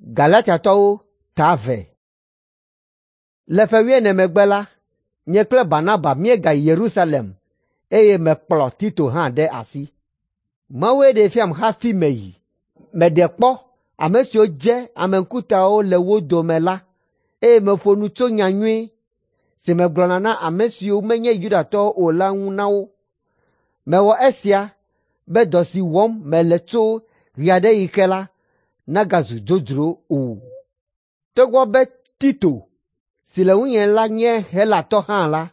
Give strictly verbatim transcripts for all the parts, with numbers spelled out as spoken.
Galatiatɔwo ta eve. Le ƒe wuiene megbe la, nye kple Barnaba míegayi Yerusalem eye mekplɔ Tito hã ɖe asi. Mawue ɖee fiam hafi meyi. Meɖe kpɔ ame siwo dze ame ŋkutawo le wo dome la, eye meƒo nu tso nyanyui si megblɔna na ame siwo menye Yudatɔwo o la ŋu na wo. Mewɔ esia be dɔ si wɔm mele tso ɣe aɖe ɣi ke la nagazu dzodzro o. Togbɔ be Tito si le ŋunye la nye Helatɔ hã la,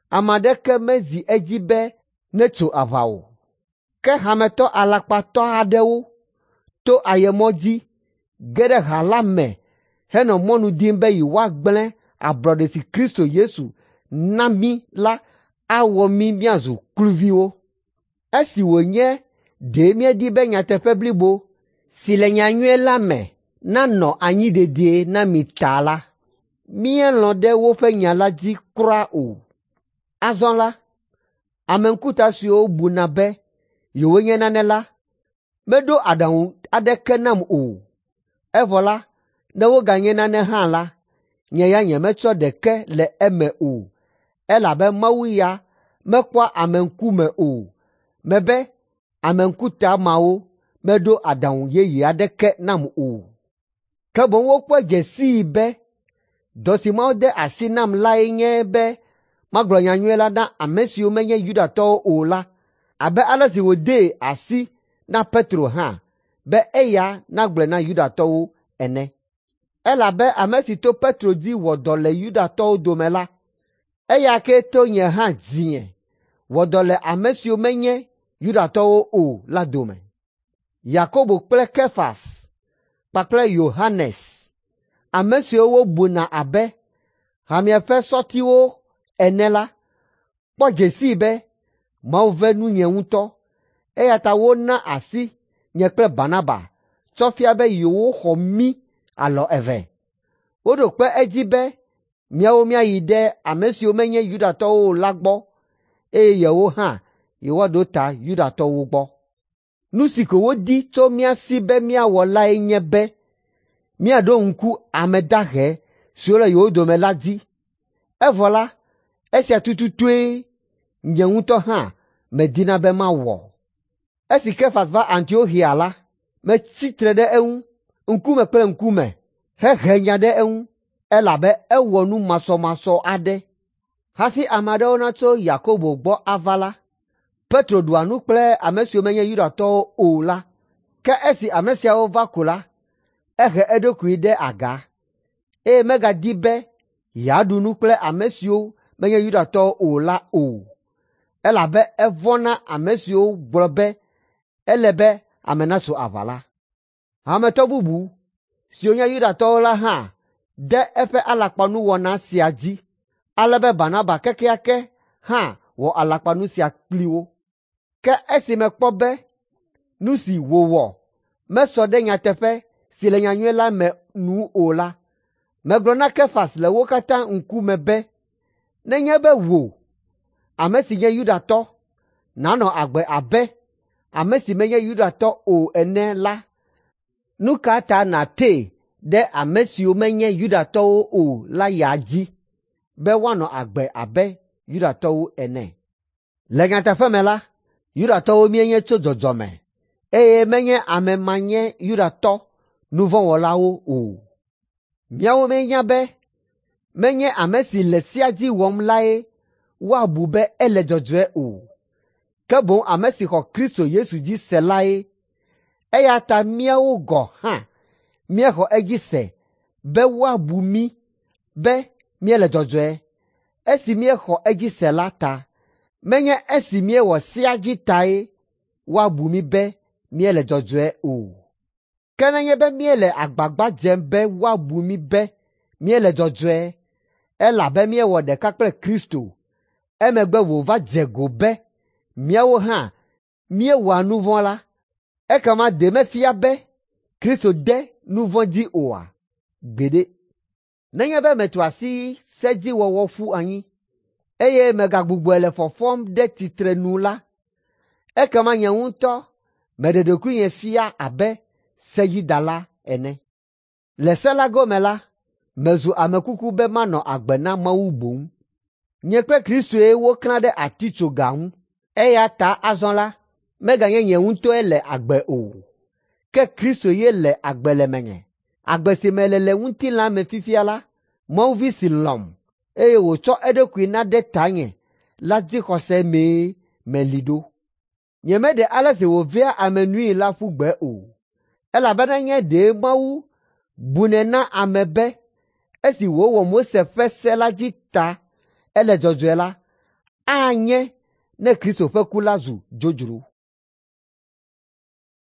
ame aɖeke mezi edzi be netso aʋa o. Ke hametɔ alakpatɔ aɖewo to ayemɔ dzi ge ɖe ha la me henɔ mɔnu dim be yewoagblẽ ablɔɖe si Kristo Yesu na mí la awɔ mí míazu kluviwo. Esi wònye ɖe míedi be nyateƒe blibo si le nyanyui la me nanɔ anyi dedie na mi ta la, míelɔ̃ ɖe woƒe nya la dzi kura o. Azɔ la, ame ŋkuta siwo buna be yewonye nane la meɖo aɖaŋu aɖeke nam o. Evɔ la, ne woganye nane hã la, nye ya nyemetsɔ ɖeke le eme o, elabe Mawu ya mekpɔa ame ŋkume o. Mebe ame ŋkuta mawo meɖo aɖaŋu yeye aɖeke nam o. Ke boŋ wokpɔe dze sii be dɔ si Mawu de asi nam lae nye be magblɔ nyanyui la na ame siwo menye Yudatɔwo o la abe ale si wòdee asi na Petro hã be eya nagblɔe na Yudatɔwo ene. Elabe ame si to Petro dzi wɔ dɔ le Yudatɔwo dome la, eya kee to nye hã dzinye wɔ dɔ le ame siwo menye Yudatɔwo o la dome. Yakobo kple Kefas kpakple Yohanes, ame siwo wobuna abe hamea ƒe sɔtiwo ene la, kpɔ dze sii be Mawu ve nunye ŋutɔ eya ta wona asi nye kple Barnaba tsɔ fia be yewoxɔ mí alɔ eve. Woɖo kpe edzi be míawo míayi ɖe ame siwo menye Yudatɔwo o la gbɔ eye yewo hã yewoaɖo ta Yudatɔwo gbɔ. Nu si ko wodi tso mía si be míawɔ lae nye be míaɖo ŋku ame dahe siwo le yewo dome la dzi. Evɔ la, esia tututue nye ŋutɔ hã medina be mawɔ. Esi Kefas va Antioxia la, metsi tre ɖe eŋu ŋkume kple ŋkume hehe nya ɖe eŋu elabe ewɔ nu masɔmasɔ aɖe. Hafi ame aɖewo natso Yakobo gbɔ ava la, Petro ɖua nu kple ame siwo menye Yudatɔwo o la. Ke esi ame siawo va ko la, ehe eɖokui ɖe aga, eye megadi be yeaɖu nu kple ame siwo menye Yudatɔwo o la o, elabe evɔ̃ na ame siwo gblɔ be ele be ame natso aʋa la. Hametɔ bubu siwo nye Yudatɔwo la hã de eƒe alakpanuwɔna sia dzi, ale be Barnaba kekeake hã wɔ alakpanu sia kpli wo. Ke esi mekpɔ be nu si wòwɔ mesɔ ɖe nyateƒe si le nyanyui la me nu o la, megblɔ na Kefas le wo katã ŋkume be, nenye be wò, ame si nye Yudatɔ, nànɔ agbe abe ame si menye Yudatɔ o ene la, nu ka ta nàtee ɖe ame siwo menye Yudatɔwo o la ya dzi be woanɔ agbe abe Yudatɔwo ene? Le nyateƒe me la, Yudatɔwo míenye tso dzɔdzɔme eye menye ame manye Yudatɔ nuvɔ̃wɔlawo o. Míawo míenya be menye ame si le sea dzi wɔm lae woabu be ele dzɔdzɔe o, ke boŋ ame si xɔ Kristo Yesu dzi se lae. Eya ta míawo gɔ̃ hã míexɔ edzi se be woabu mí be míele dzɔdzɔe esi míexɔ edzi se la ta. Menye esi míewɔ sea dzi tae woabu mí be míele dzɔdzɔe o. Ke nenye be míele agbagba dzem be woabu mí be míele dzɔdzɔe elabe míewɔ ɖeka kple Kristo, emegbe wòva dze go be míawo hã míewɔa nu vɔ̃ la, ekema ɖe mefia be Kristo de nu vɔ̃ dzi oa? Gbeɖe! Nenye be metu asi sedziwɔwɔ ƒu anyi, eye megagbugbɔe le fɔfɔm ɖe tsitrenu la, ekema nye ŋutɔ meɖe ɖokuinye fia abe sedzidala ene. Le se la gome la, mezu ame kuku be manɔ agbe na Mawu boŋ. Nye kple Kristoe woklã ɖe atitsoga ŋu, eya ta azɔ la, meganye nye ŋutɔe le agbe o, ke Kristo ye le agbe le menye. Agbe si mele le ŋutilã me fifia la, Mawu Vi si lɔ̃m, eye wòtsɔ eɖokui na ɖe tanye la dzixɔse mee meli ɖo. Nyemeɖe ale si wòvea ame nui la ƒu gbe o, elabena nye ɖe Mawu bunɛ na ame be esi wòwɔ Mose ƒe se la dzi ta ele dzɔdzɔe la, anye ne Kristo ƒe ku la zu dzodzro.